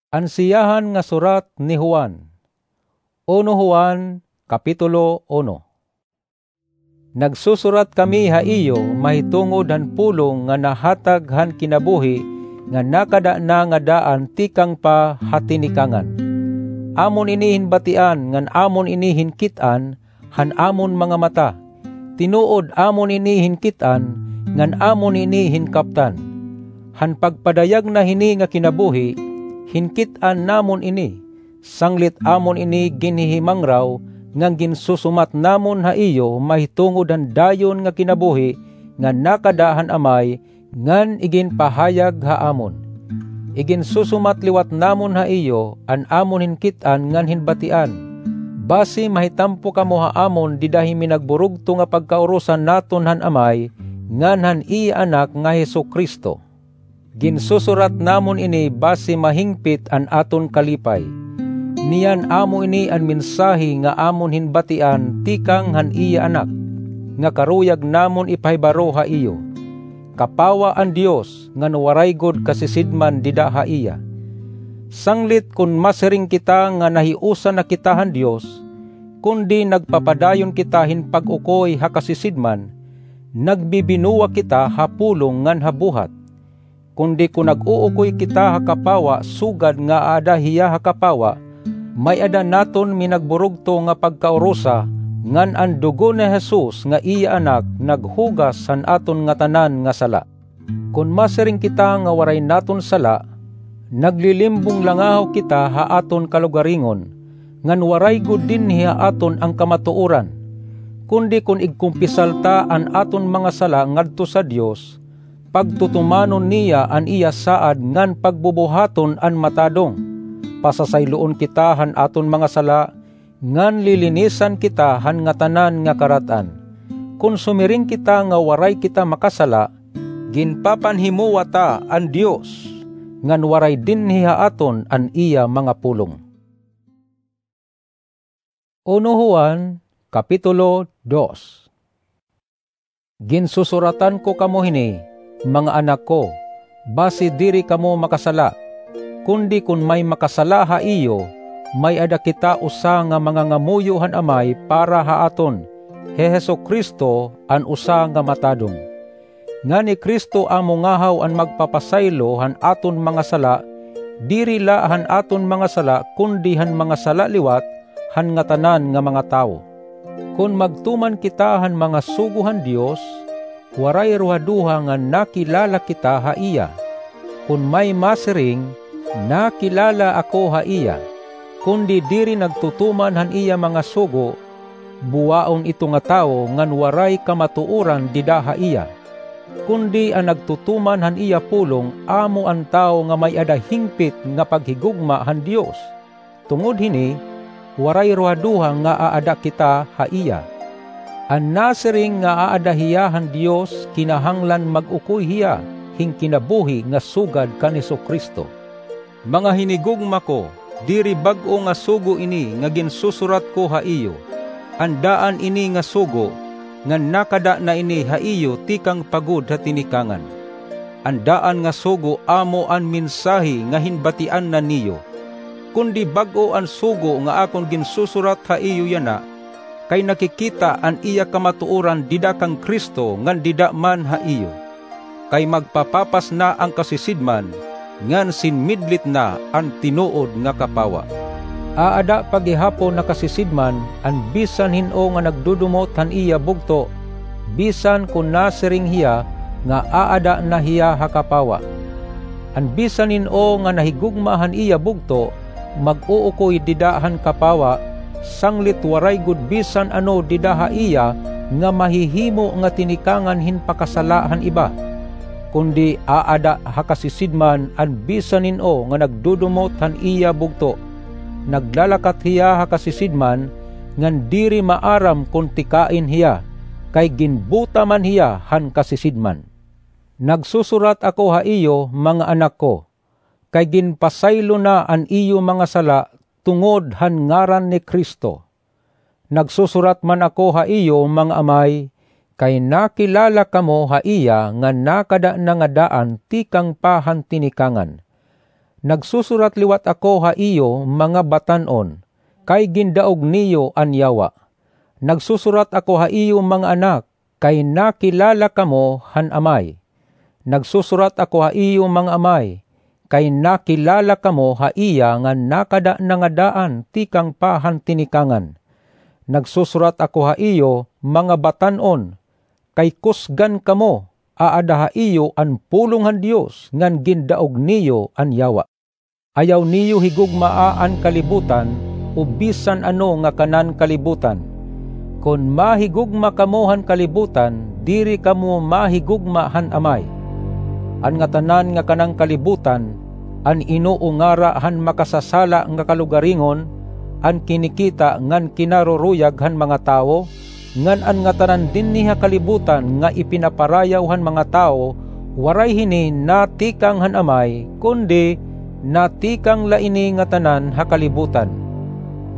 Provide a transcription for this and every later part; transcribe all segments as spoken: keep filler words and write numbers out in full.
An siyahan nga surat ni Juan. Uno Juan, Kapitulo uno. Nagsusurat kami ha iyo mahitungod han pulong nga nahatag han kinabuhi nga nakada na nga daan tikang pa ha tinikangan. Amon ini hinbatian ngan amon ini hinkit-an han amon mga mata. Tinuod, amon ini hinkit-an ngan amon ini hinkaptan. Han pagpadayag na hini nga kinabuhi, hinkit-an namon ini, sanglit amon ini ginhihimangraw ngan ginsusumat namon ha iyo mahitungod han dayon nga kinabuhi nga nakada han Amay ngan iginpahayag ha amon. Iginsusumat liwat namon ha iyo an amon hinkit-an ngan hinbatian, basi mahitampo kamo ha amon dida hin minagburugto nga pagkaurusan naton han Amay ngan han iya Anak nga Jesu-Cristo. Ginsusurat namon ini basi mahingpit an aton kalipay. Niyan amo ini an mensahe nga amon hinbatian tikang han iya Anak, nga karuyag namon ipahibaro ha iyo. Kapawa an Dios ngan waray gud kasisidman dida ha iya. Sanglit kon masiring kita nga nahiusa na kita han Dios, kundi nagpapadayon kita hin pag-ukoy ha kasisidman, nagbibinuwa kita ha pulong ngan ha buhat. Kundi kon nag-uukoy kita ha kapawa sugad nga aada hiya ha kapawa, may-ada naton minagburugto nga pagkaurusa, ngan an dugo ni Jesus nga iya Anak naghugas han aton ngatanan nga sala. Kon masiring kita nga waray naton sala, naglilimbong langahaw kita ha aton kalugaringon, ngan waray gud dinhi ha aton an kamatuoran. Kundi kon igkumpisal ta an aton mga sala ngadto sa Dios, pagtutumanon niya an iya saad ngan pagbubuhaton an matadong. Pasasayloon kita han aton mga sala, ngan lilinisan kita han ngatanan nga karat-an. Kon sumiring kita nga waray kita makasala, ginpapanhimowa ta an Dios, ngan waray dinhi ha aton an iya mga pulong. Uno Juan, Kapitulo dos. Ginsusuratan ko kamo hini, mga anak ko, basi diri kamo makasala. Kundi kon may makasala ha iyo, may-ada kita usa nga mangangamuyo han Amay para ha aton, hi Jesu-Cristo, an usa nga matadong. Ngan hi Cristo amo ngahaw an magpapasaylo han aton mga sala, diri la han aton mga sala, kundi han mga sala liwat han ngatanan nga mga tawo. Kon magtuman kita han mga sugo han Dios, waray ruhaduha nga nakilala kita ha iya. Kon may masiring, "Nakilala ako ha iya," kundi diri nagtutuman han iya mga sugo, buwaon ito nga tawo ngan waray kamatuoran dida ha iya. Kundi an nagtutuman han iya pulong amo an tawo nga may-ada hingpit nga paghigugma han Dios. Tungod hini, waray ruhaduha nga aada kita ha iya. An nasiring nga aada hiya han Dios, kinahanglan mag-ukoy hiya hin kinabuhi nga sugad kan Jesu-Cristo. Mga hinigugma ko, diri bag-o nga sugo ini nga ginsusurat ko ha iyo. An daan ini nga sugo, ngan nakada na ini ha iyo tikang pa gud ha tinikangan. An daan nga sugo amo an mensahe nga hinbatian na niyo. Kundi bag-o an sugo nga akon ginsusurat ha iyo yana, kay nakikita an iya kamatuoran dida kan Cristo ngan dida man ha iyo. Kay magpapapas na an kasisidman, ngan sinmidlit na an tinuod nga kapawa. Aada pa gihapon ha kasisidman an bisan hin-o nga nagdudumot han iya bugto, bisan kon nasiring hiya nga aada na hiya ha kapawa. An bisan hin-o nga nahigugma han iya bugto, mag-uukoy dida han kapawa, sanglit waray gud bisan ano dida ha iya nga mahihimo nga tinikangan hin pakasala han iba. Kundi aada ha kasisidman an bisan hin-o nga nagdudumot han iya bugto. Naglalakat hiya ha kasisidman, ngan diri maaram kon tikain hiya, kay ginbuta man hiya han kasisidman. Nagsusurat ako ha iyo, mga anak ko, kay ginpasaylo na an iyo mga sala tungod han ngaran ni Cristo. Nagsusurat man ako ha iyo, mga amay, kay nakilala kamo ha iya nga nakada na nga daan tikang pa han tinikangan. Nagsusurat liwat ako ha iyo, mga batan-on, kay gindaog niyo an Yawa. Nagsusurat ako ha iyo, mga anak, kay nakilala kamo han Amay. Nagsusurat ako ha iyo, mga amay, kay nakilala kamo ha iya nga nakada na nga daan tikang pa han tinikangan. Nagsusurat ako ha iyo, mga batan-on, kay kusgan kamo, aada ha iyo an pulong han Dios ngan gindaog niyo an Yawa. Ayaw niyo higugmaa an kalibutan, o bisan ano nga kanan kalibutan. Kon mahigugma kamo han kalibutan, diri kamo mahigugma han Amay. An ngatanan nga kanan kalibutan, an inuungara han makasasala nga kalugaringon, an kinikita ngan kinaruruyag han mga tawo, ngan an ngatanan dinhi ha kalibutan nga ipinaparayaw han mga tawo, waray hini natikang han Amay, kundi natikang la ini ngatanan ha kalibutan.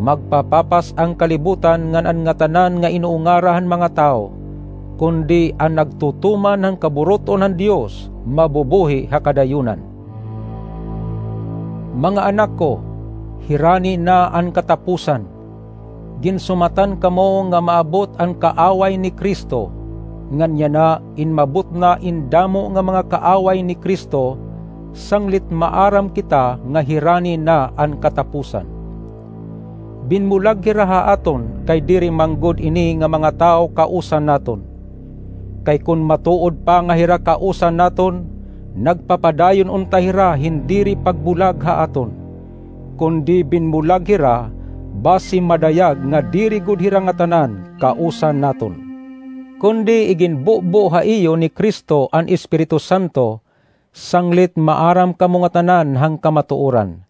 Magpapapas an kalibutan ngan an ngatanan nga inuungara han mga tawo, kundi an nagtutuman han kaburut-on han Dios mabubuhi ha kadayunan. Mga anak ko, hirani na an katapusan. Ginsumatan kamo nga maabot an kaaway ni Cristo, ngan yana inmabot na in damo nga mga kaaway ni Cristo, sanglit maaram kita nga hirani na an katapusan. Binbulag hira ha aton kay diri man gud ini nga mga tawo kausan naton. Kay kon matuod pa nga hira kausan naton, nagpapadayon unta hira hin diri pagbulag ha aton. Kundi binbulag hira, basi madayag nga diri gud hira ngatanan kausan naton. Kundi iginbubo ha iyo ni Cristo an Espiritu Santo, sanglit maaram kamo ngatanan han kamatooran.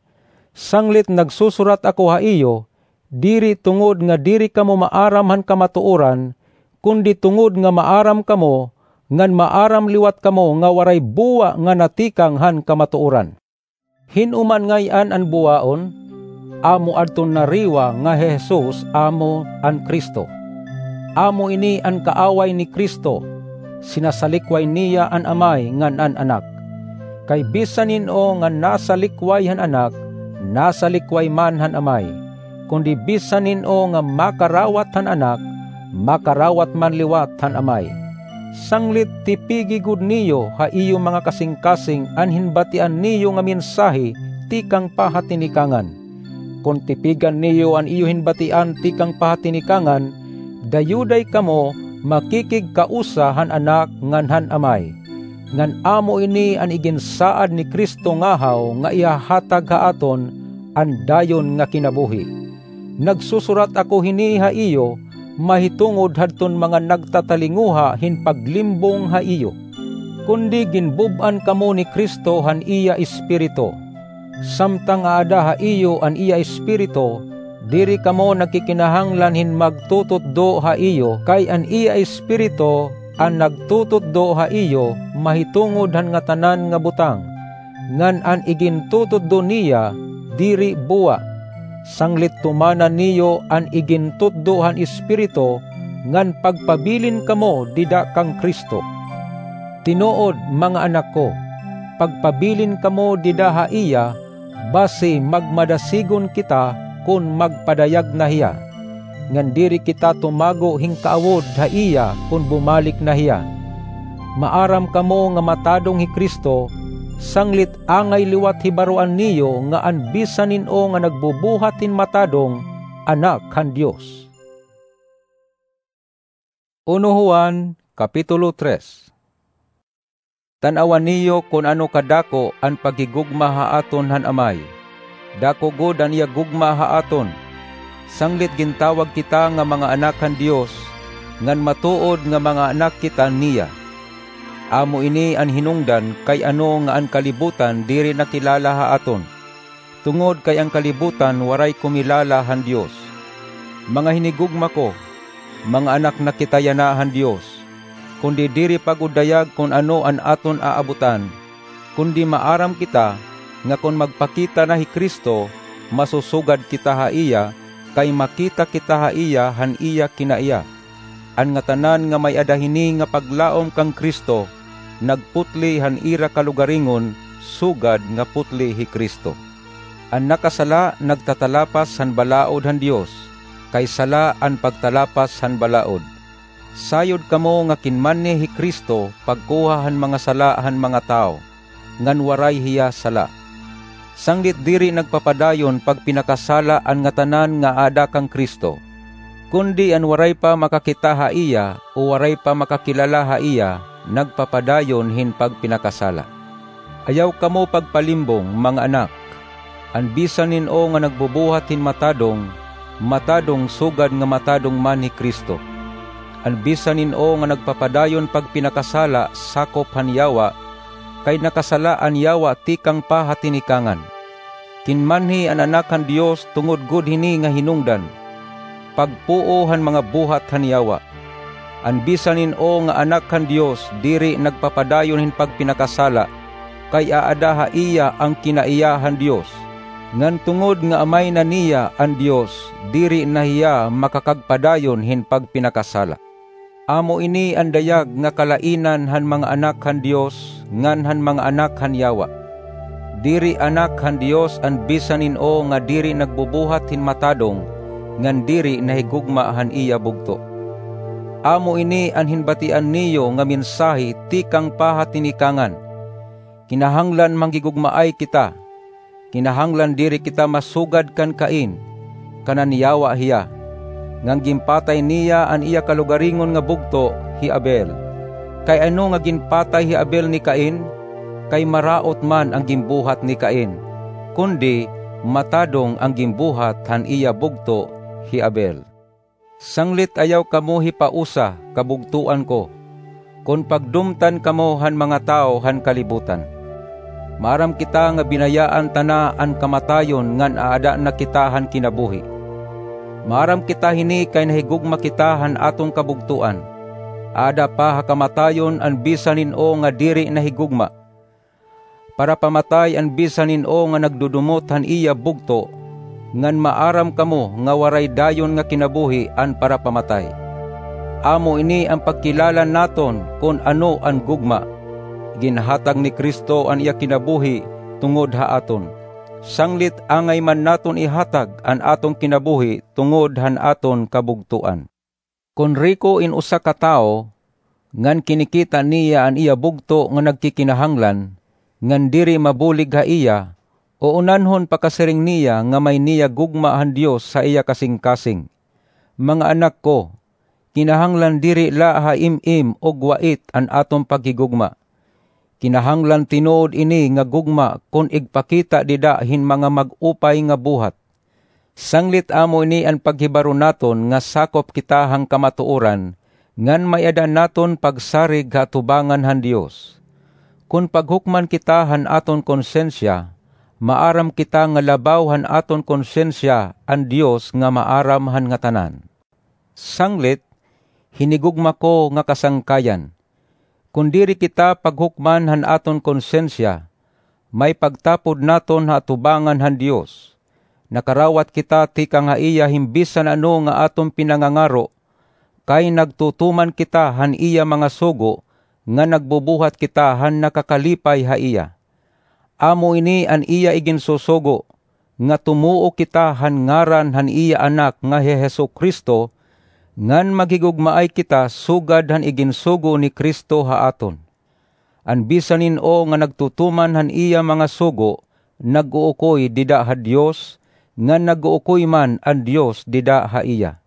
Sanglit nagsusurat ako ha iyo, diri tungod nga diri kamo maaram han kamatooran, kundi tungod nga maaram kamo, ngan maaram liwat kamo nga waray buwa nga natikang han kamatooran. Hin-o man ngay-an an buwaon? Amo adton nariwa nga hi Jesus amo an Cristo. Amo ini an kaaway ni Cristo, sinasalikway niya an Amay ngan an Anak. Kay bisan hin-o nga nasalikway han Anak, nasalikway man han Amay. Kundi bisan hin-o nga makarawat han Anak, makarawat man liwat han Amay. Sanglit tipigi gud niyo ha iyo mga kasingkasing an hinbatian niyo nga mensahe tikang pa ha tinikangan. Kon tipigan niyo an iyo hinbatian tikang pa ha tinikangan, dayuday kamo makikigkausa han Anak ngan han Amay. Ngan amo ini an iginsaad ni Cristo ngahaw nga ihahatag ha aton an dayon nga kinabuhi. Nagsusurat ako hini ha iyo, mahitungod hadton mga nagtatalinguha hin paglimbong ha iyo. Kundi ginbub-an kamo ni Cristo han iya Espiritu. Samtang aada ha iyo an iya Espiritu, diri kamo nagkikinahanglan hin magtututdo ha iyo, kay an iya Espiritu an nagtututdo ha iyo mahitungod han ngatanan nga butang, ngan an igintututdo niya diri buwa. Sanglit tumana niyo an igintutdo han Espiritu, ngan pagpabilin kamo dida kan Cristo. Tinuod, mga anak ko, pagpabilin kamo dida ha iya, basi magmadasigon kita kon magpadayag na hiya. Ngan diri kita tumago hin kaawod ha iya kon bumalik na hiya. Maaram kamo nga matadong hi Cristo, sanglit angay liwat hibaroan niyo nga an bisan hin-o nga nagbubuhat hin matadong, anak han Dios. Uno Juan, Kapitulo tres. Tan-awa niyo kon ano kadako an paghigugma ha aton han Amay. Dako gud an iya gugma ha aton. Sanglit gintawag kita nga mga anak han Dios, ngan matuod nga mga anak kita niya. Amo ini an hinungdan kay ano nga an kalibutan diri nakilala ha aton, tungod kay an kalibutan waray kumilala han Dios. Mga hinigugma ko, mga anak na kita yana han Dios, kundi diri pa gud dayag kon ano an aton aabutan, kundi maaram kita nga kon magpakita na hi Cristo, masusugad kita ha iya, kay makita kita ha iya han iya kinaiya. An ngatanan nga may-ada hini nga paglaom kan Cristo, nagputli han ira kalugaringon, sugad nga putli hi Cristo. An nakasala nagtatalapas han balaod han Dios, kay sala an pagtalapas han balaod. Sayod kamo nga kinmanhi hi Cristo pagkuha han mga sala han mga tawo, ngan waray hiya sala. Sanglit diri nagpapadayon pagpinakasala an ngatanan nga aada kan Cristo, kundi an waray pa makakita ha iya o waray pa makakilala ha iya nagpapadayon hin pagpinakasala. Ayaw kamo pagpalimbong, mga anak. An bisan hin-o nga nagbubuhat hin matadong, matadong sugad nga matadong man hi Cristo. An bisan hin-o nga nagpapadayon pagpinakasala sakop han yawa, kay nakasala an yawa tikang pa ha tinikangan. Kinmanhi an Anak han Dios tungod gud hini nga hinungdan, pagpuo han mga buhat han yawa. An bisan hin-o nga anak han Dios diri nagpapadayon hin pagpinakasala, kay aada ha iya an kinaiya han Dios. Ngan tungod nga Amay na niya an Dios, diri na hiya makakagpadayon hin pagpinakasala. Amo ini an dayag nga kalainan han mga anak han Dios ngan han mga anak han yawa. Diri anak han Dios an bisan hin-o nga diri nagbubuhat hin matadong ngan diri nahigugma han iya bugto. Amo ini an hinbatian niyo nga mensahe tikang pa ha tinikangan. Kinahanglan manghigugmaay kita. Kinahanglan diri kita masugad kan Cain, kanan yawa hiya, ngan ginpatay niya an iya kalugaringon nga bugto, hi Abel. Kay ano nga ginpatay hi Abel ni Cain? Kay maraot man an ginbuhat ni Cain, kundi matadong an ginbuhat han iya bugto, hi Abel. Sanglit ayaw kamo hipausa, kabugtoan ko, kon pagdumtan kamo han mga tawo han kalibutan. Maaram kita nga binayaan ta na an kamatayon ngan aada na kita han kinabuhi. Maaram kita hini kay nahigugma kita han aton kabugtoan. Aada pa ha kamatayon an bisan hin-o nga diri nahigugma. Parapamatay an bisan hin-o nga nagdudumot han iya bugto, ngan maaram kamo nga waray dayon nga kinabuhi an parapamatay. Amo ini an pagkilala naton kon ano an gugma. Ginhatag ni Cristo an iya kinabuhi tungod ha aton. Sanglit angay man naton ihatag an aton kinabuhi tungod han aton kabugtoan. Kon riko in usa ka tawo, ngan kinikita niya an iya bugto nga nagkikinahanglan, ngan diri mabulig ha iya, uunanhon pakasiring niya nga may niya gugma han Dios ha iya kasingkasing. Mga anak ko, kinahanglan diri la ha im-im ug wait an aton paghigugma. Kinahanglan tinuod ini nga gugma kon igpakita dida hin mga mag-upay nga buhat. Sanglit amo ini an paghibaro naton nga sakop kita han kamatuoran, ngan may-ada naton pagsarig ha atubangan han Dios. Kon paghukman kita han aton konsensiya, maaram kita nga labaw han aton konsensiya an Dios nga maaram han ngatanan. Sanglit, hinigugma ko nga kasangkayan, kon diri kita paghukman han aton konsensiya, may pagtapod naton ha atubangan han Dios. Nakarawat kita tikang ha iya hin bisan ano nga aton pinangangaro, kay nagtutuman kita han iya mga sugo nga nagbubuhat kita han nakakalipay ha iya. Amo ini an iya iginsusugo, nga tumuo kita han ngaran han iya Anak nga hi Jesu-Cristo, ngan maghigugmaay kita sugad han iginsugo ni Cristo ha aton. An bisan hin-o nga nagtutuman han iya mga sugo, nag-uukoy dida ha Dios, ngan nag-uukoy man an Dios dida ha iya.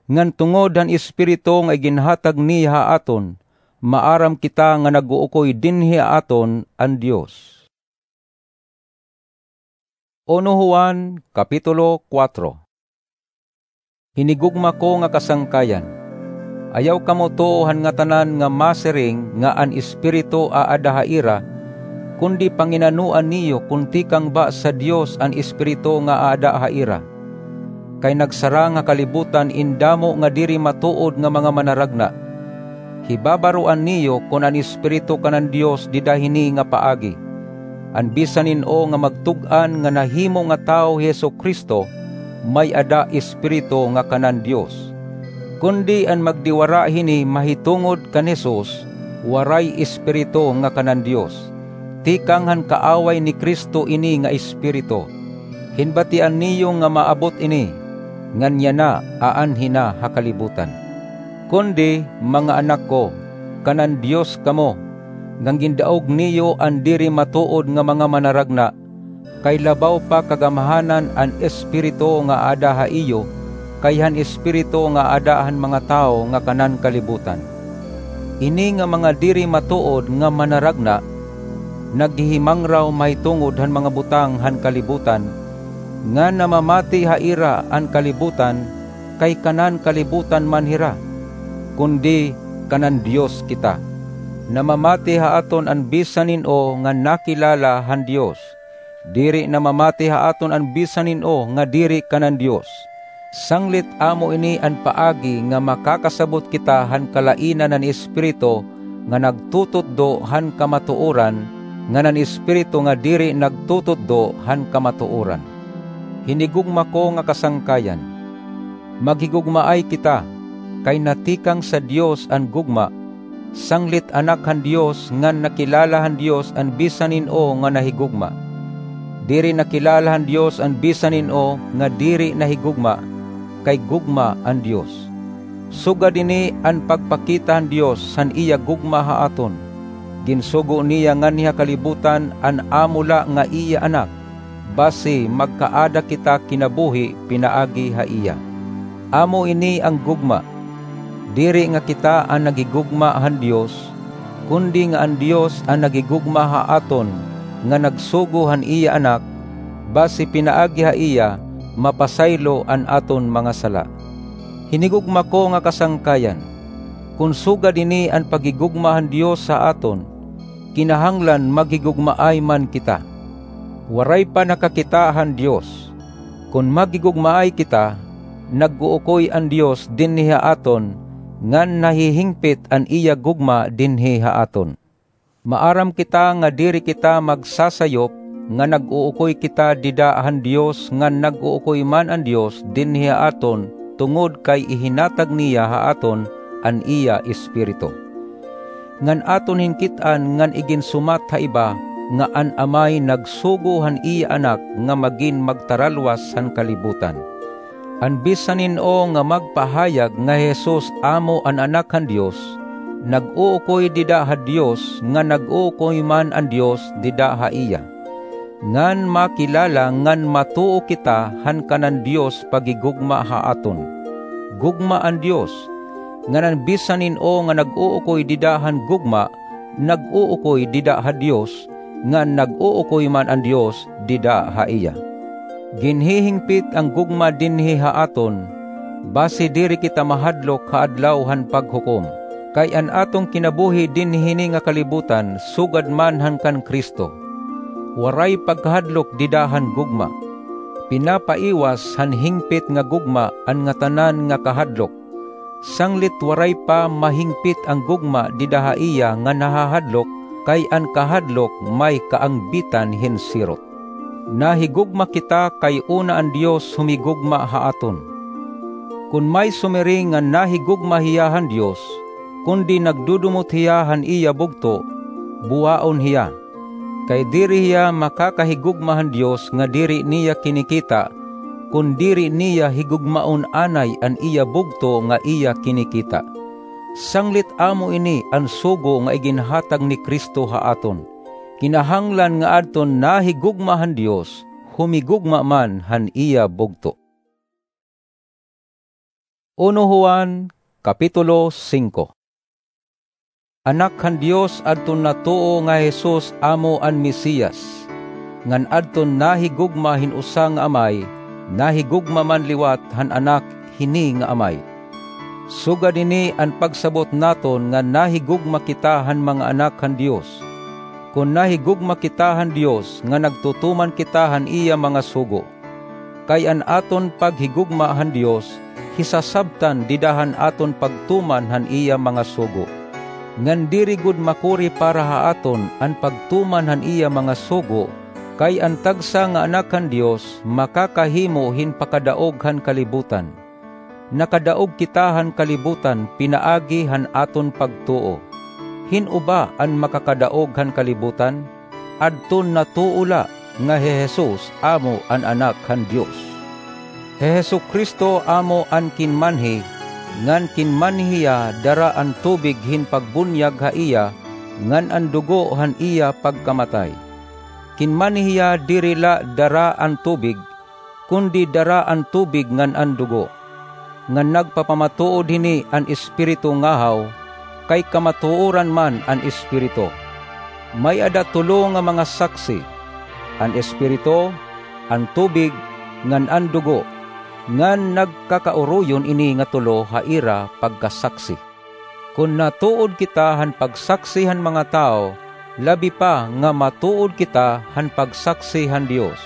Ngan tungod han Espiritu nga iginhatag niya ha aton, maaram kita nga nag-uukoy dinhi ha aton an Dios. Uno Juan, Kapitulo kuwatro. Hinigugma ko nga kasangkayan, ayaw kamo tuo han ngatanan nga masiring nga an Espiritu aada ha ira, kundi panginanoan niyo kon tikang ba sa Dios an Espiritu nga aada ha ira. Kay nagsarang ha kalibutan in damo nga diri matuod nga mga manaragna. Hibabaroan niyo kon an Espiritu kanan Dios dida hini nga paagi. An bisan hin-o nga magtug-an nga nahimo nga tawo hi Jesu-Cristo, may-ada Espiritu nga kanan Dios. Kundi an magdiwara hini mahitungod kan Jesus, waray Espiritu nga kanan Dios. Tikang han kaaway ni Cristo ini nga Espiritu. Hinbatian niyo nga maabot ini, ngan yana aanhi na ha kalibutan. Kundi, mga anak ko, kanan Dios kamo, ngan gindaog niyo an diri matuod nga mga manaragna, kay labaw pa kagamhanan an espiritu nga aada ha iyo, kay han espiritu nga aada han mga tawo nga kanan kalibutan. Ini nga mga diri matuod nga manaragna, naghihimangraw mahitungod han mga butang han kalibutan, nga namamati ha ira an kalibutan, kay kanan kalibutan man hira, kundi kanan Dios kita. Namamati ha aton an bisan hin-o nga nakilala han Dios. Diri namamati ha aton an bisan hin-o nga diri kanan Dios. Sanglit amo ini an paagi nga makakasabot kita han kalainan han Espiritu nga nagtututdo han kamatuoran, ngan an espiritu nga diri nagtututdo han kamatuoran. Hinigugma ko nga kasangkayan, maghigugmaay kita, kay natikang sa Dios an gugma. Sanglit anak han Dios ngan nakilala han Dios an bisan hin-o nga nahigugma. Diri nakilala han Dios an bisan hin-o nga diri nahigugma, kay gugma an Dios. Sugad ini an pagpakita han Dios han iya gugma ha aton: ginsugo niya nganhi ha kalibutan an amo la nga iya Anak, basi magkaada kita kinabuhi pinaagi ha iya. Amo ini an gugma, diri nga kita an naghigugma han Dios, kundi nga an Dios an naghigugma ha aton, nga nagsugo han iya Anak, basi pinaagi ha iya mapasaylo an aton mga sala. Hinigugma ko nga kasangkayan, kon sugad ini an paghigugma han Dios ha aton, kinahanglan maghigugmaay man kita. Waray pa nakakita han Dios. Kon maghigugmaay kita, nag-uukoy an Dios dinhi ha aton, ngan nahihingpit an iya gugma dinhi ha aton. Maaram kita nga diri kita magsasayop nga nag-uukoy kita dida han Dios ngan nag-uukoy man an Dios dinhi ha aton, tungod kay ihinatag niya ha aton an iya Espiritu. Ngan aton hinkit-an ngan iginsumat ha iba nga an Amay nagsugo han iya Anak nga magin magtaralwas han kalibutan. An bisan hin-o nga magpahayag nga hi Jesus amo an Anak han Dios, nag-uukoy dida ha Dios ngan nag-uukoy man an Dios dida ha iya. Ngan makilala ngan matuo kita han kanan Dios paghigugma ha aton. Gugma an Dios, ngan an bisan hin-o nga nag-uukoy dida han gugma, nag-uukoy dida ha Dios, ngan nag-uukoy man an Dios dida ha iya. Ginhihingpit an gugma dinhi ha aton, basi diri kita mahadlok ha Adlaw han Paghukom, kay an aton kinabuhi dinhi hini nga kalibutan sugad man han kan Cristo. Waray pagkahadlok dida han gugma. Pinapaiwas han hingpit nga gugma an ngatanan nga kahadlok. Sanglit waray pa mahingpit an gugma dida ha iya nga nahahadlok, kay an kahadlok may kaangbitan hin sirot. Nahigugma kita kay una an Dios humigugma ha aton. Kon may sumiring nga nahigugma hiya han Dios, kundi nagdudumot hiya han iya bugto, buwaon hiya. Kay diri hiya makakahigugma han Dios nga diri niya kinikita, kon diri niya higugmaon anay an iya bugto nga iya kinikita. Sanglit amo ini an sugo nga iginhatag ni Cristo ha aton. Kinahanglan nga adton nahigugma han Dios, humigugma man han iya bugto. Uno Juan, Kapitulo singko. Anak han Dios adton natuo nga hi Jesus amo an Mesias, ngan adton nahigugma hin usa nga amay, nahigugma man liwat han anak hini nga amay. Sugad hini an pagsabot naton nga nahigugma kita han mga anak han Dios, kon nahigugma kita han Dios nga nagtutuman kita han iya mga sugo. Kay an aton paghigugma han Dios hisasabtan dida han aton pagtuman han iya mga sugo. Ngan diri gud makuri para ha aton an pagtuman han iya mga sugo, kay an tagsa nga anak han Dios makakahimo hin pakadaog han kalibutan. Nakadaog kita han kalibutan pinaagi han aton pagtuo. Hin-o ba an makakadaog han kalibutan? adton natuo la nga hi Jesus amo an Anak han Dios. Hi Jesu-Cristo amo an kinmanhi, ngan kinmanhi hiya dara an tubig hin pagbunyag ha iya, ngan an dugo han iya pagkamatay. Kinmanhi hiya diri la dara an tubig, kundi dara an tubig ngan an dugo. Ngan nagpapamatuod hini an Espiritu ngahaw, kay kamatuoran man an Espiritu. May-ada tulo nga mga saksi, an Espiritu, an tubig, ngan an dugo, ngan nagkakauroyon ini nga tulo ha ira pagkasaksi. Kon natuod kita han pagsaksi han mga tawo, labi pa nga matuod kita han pagsaksi han Dios.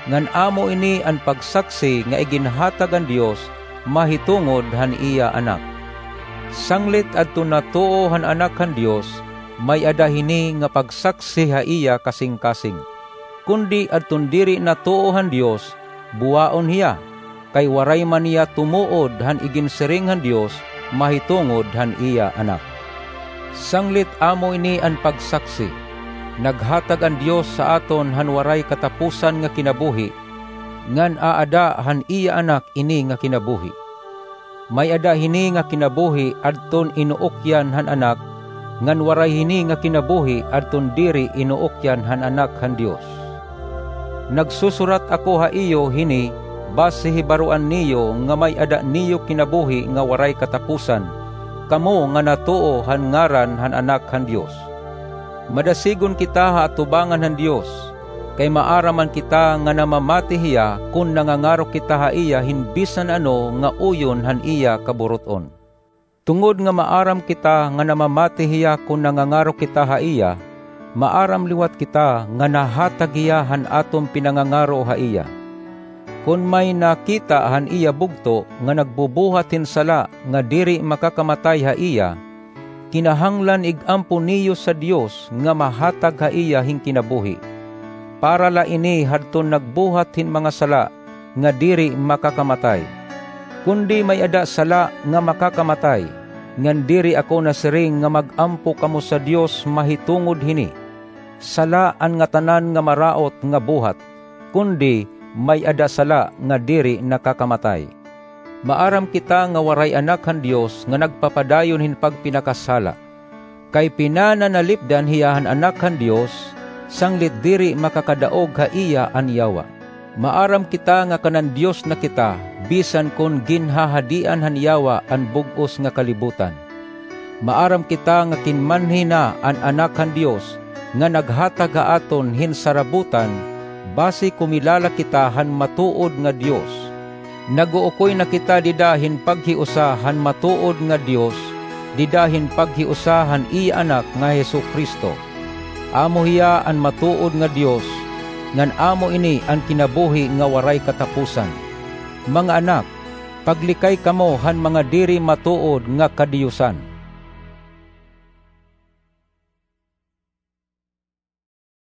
Ngan amo ini an pagsaksi nga iginhatag han Dios mahitungod han iya Anak. Sanglit adton natuo han Anak han Dios, may-ada hini nga pagsaksi ha iya kasingkasing. Kundi adton diri natuo han Dios, buwaon hiya, kay waray man hiya tumuod han iginsiring han Dios mahitungod han iya Anak. Sanglit amo ini an pagsaksi: naghatag an Dios ha aton han waray katapusan nga kinabuhi, ngan aada han iya Anak ini nga kinabuhi. May-ada hini nga kinabuhi adton inuukyan han Anak, ngan waray hini nga kinabuhi adton diri inuukyan han Anak han Dios. Nagsusurat ako ha iyo hini basi hibaroan niyo nga may-ada niyo kinabuhi nga waray katapusan, kamo nga natuo han ngaran han Anak han Dios. Madasigon kita ha atubangan han Dios, kay maaram man kita nga namamati hiya kon nangangaro kita ha iya hin bisan ano nga uyon han iya kaburut-on. Tungod nga maaram kita nga namamati hiya kon nangangaro kita ha iya, maaram liwat kita nga nahatag hiya han aton pinangangaro ha iya. Kon may nakita han iya bugto nga nagbubuhat hin sala nga diri makakamatay ha iya, kinahanglan ig-ampo niyo sa Dios nga mahatag ha iya hin kinabuhi. Para la ini hadton nagbuhat hin mga sala nga diri makakamatay. Kundi may-ada sala nga makakamatay, ngan diri ako nasiring nga mag-ampo kamo sa Dios mahitungod hini. Sala an ngatanan nga maraot nga buhat, kundi may-ada sala nga diri nakakamatay. Maaram kita nga waray anak han Dios nga nagpapadayon hin pagpinakasala. Kay pinananalipdan hiya han Anak han Dios, sanglit diri makakadaog ha iya an yawa. Maaram kita nga kanan Dios na kita, bisan kon ginhahadian han yawa an bug-os nga kalibutan. Maaram kita nga kinmanhi na an Anak han Dios, nga naghatag ha aton hin sarabutan, basi kumilala kita han matuod nga Dios. Nag-uukoy na kita dida hin paghiusa han matuod nga Dios, dida hin paghiusa han iya Anak nga Jesu-Cristo. Amo hiya an matuod nga Dios, ngan amo ini an kinabuhi nga waray katapusan. Mga anak, paglikay kamo han mga diri matuod nga kadiyusan.